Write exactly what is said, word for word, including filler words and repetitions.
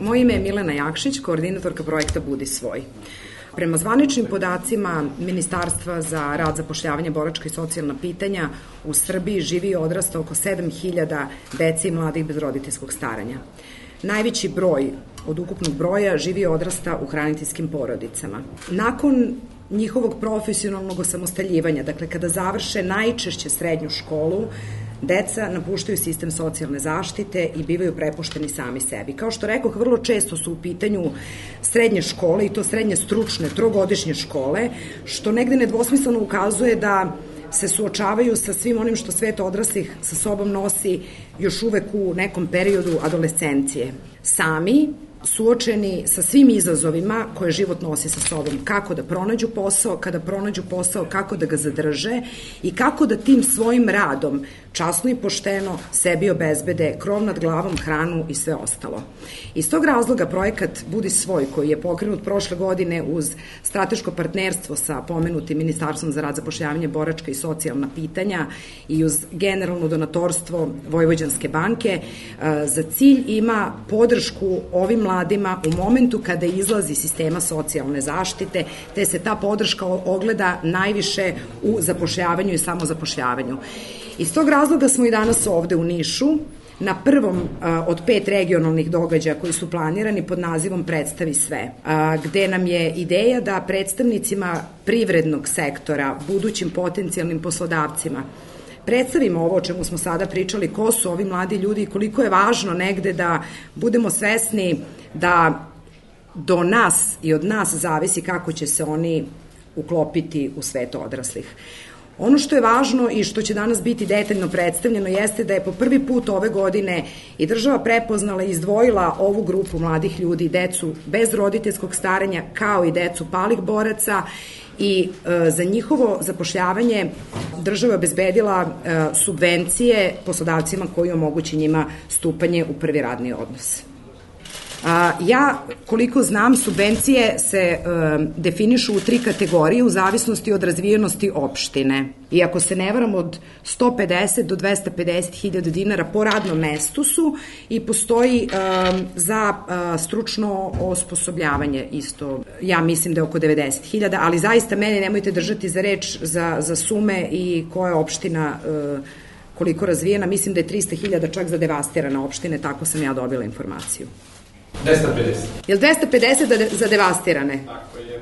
Moje ime je Milena Jakšić, koordinatorka projekta Budi svoj. Prema zvaničnim podacima Ministarstva za rad, zapošljavanje, boračka i socijalna pitanja, u Srbiji živi i odrasta oko sedam hiljada dece i mladih bez roditeljskog staranja. Najveći broj od ukupnog broja živi i odrasta u hraniteljskim porodicama. Nakon njihovog profesionalnog osamostaljivanja, dakle kada završe najčešće srednju školu, deca napuštaju sistem socijalne zaštite i bivaju prepušteni sami sebi. Kao što rekoh, vrlo često su u pitanju srednje škole, i to srednje stručne, trogodišnje škole, što negde nedvosmisleno ukazuje da se suočavaju sa svim onim što svet odraslih sa sobom nosi još uvek u nekom periodu adolescencije. Sami, suočeni sa svim izazovima koje život nosi sa sobom, kako da pronađu posao, kada pronađu posao, kako da ga zadrže i kako da tim svojim radom, časno i pošteno, sebi obezbede krov nad glavom, hranu i sve ostalo. Iz tog razloga projekat Budi svoj, koji je pokrenut prošle godine uz strateško partnerstvo sa pomenutim Ministarstvom za rad, zapošljavanje, boračka i socijalna pitanja i uz generalno donatorstvo Vojvođanske banke, za cilj ima podršku ovim mladima u momentu kada izlazi sistema socijalne zaštite, te se ta podrška ogleda najviše u zapošljavanju i samozapošljavanju. Iz tog razloga smo i danas ovde u Nišu, na prvom od pet regionalnih događaja koji su planirani pod nazivom Predstavi sve, gde nam je ideja da predstavnicima privrednog sektora, budućim potencijalnim poslodavcima, predstavimo ovo o čemu smo sada pričali, ko su ovi mladi ljudi i koliko je važno negde da budemo svesni da do nas i od nas zavisi kako će se oni uklopiti u svet odraslih. Ono što je važno i što će danas biti detaljno predstavljeno jeste da je po prvi put ove godine i država prepoznala i izdvojila ovu grupu mladih ljudi, decu bez roditeljskog staranja, kao i decu palih boraca, i e, za njihovo zapošljavanje država je obezbedila e, subvencije poslodavcima koji omogući njima stupanje u prvi radni odnos. A, ja, koliko znam, subvencije se e, definišu u tri kategorije u zavisnosti od razvijenosti opštine. I ako se ne varam, od sto pedeset do dvesta pedeset hiljada dinara po radnom mestu su i postoji e, za e, stručno osposobljavanje isto. Ja mislim da je oko devedeset hiljada, ali zaista mene nemojte držati za reč za, za sume i koja je opština e, koliko razvijena. Mislim da je trista hiljada čak za devastirane opštine, tako sam ja dobila informaciju. dvesta pedeset. Je li dvesta pedeset za devastirane? Tako je.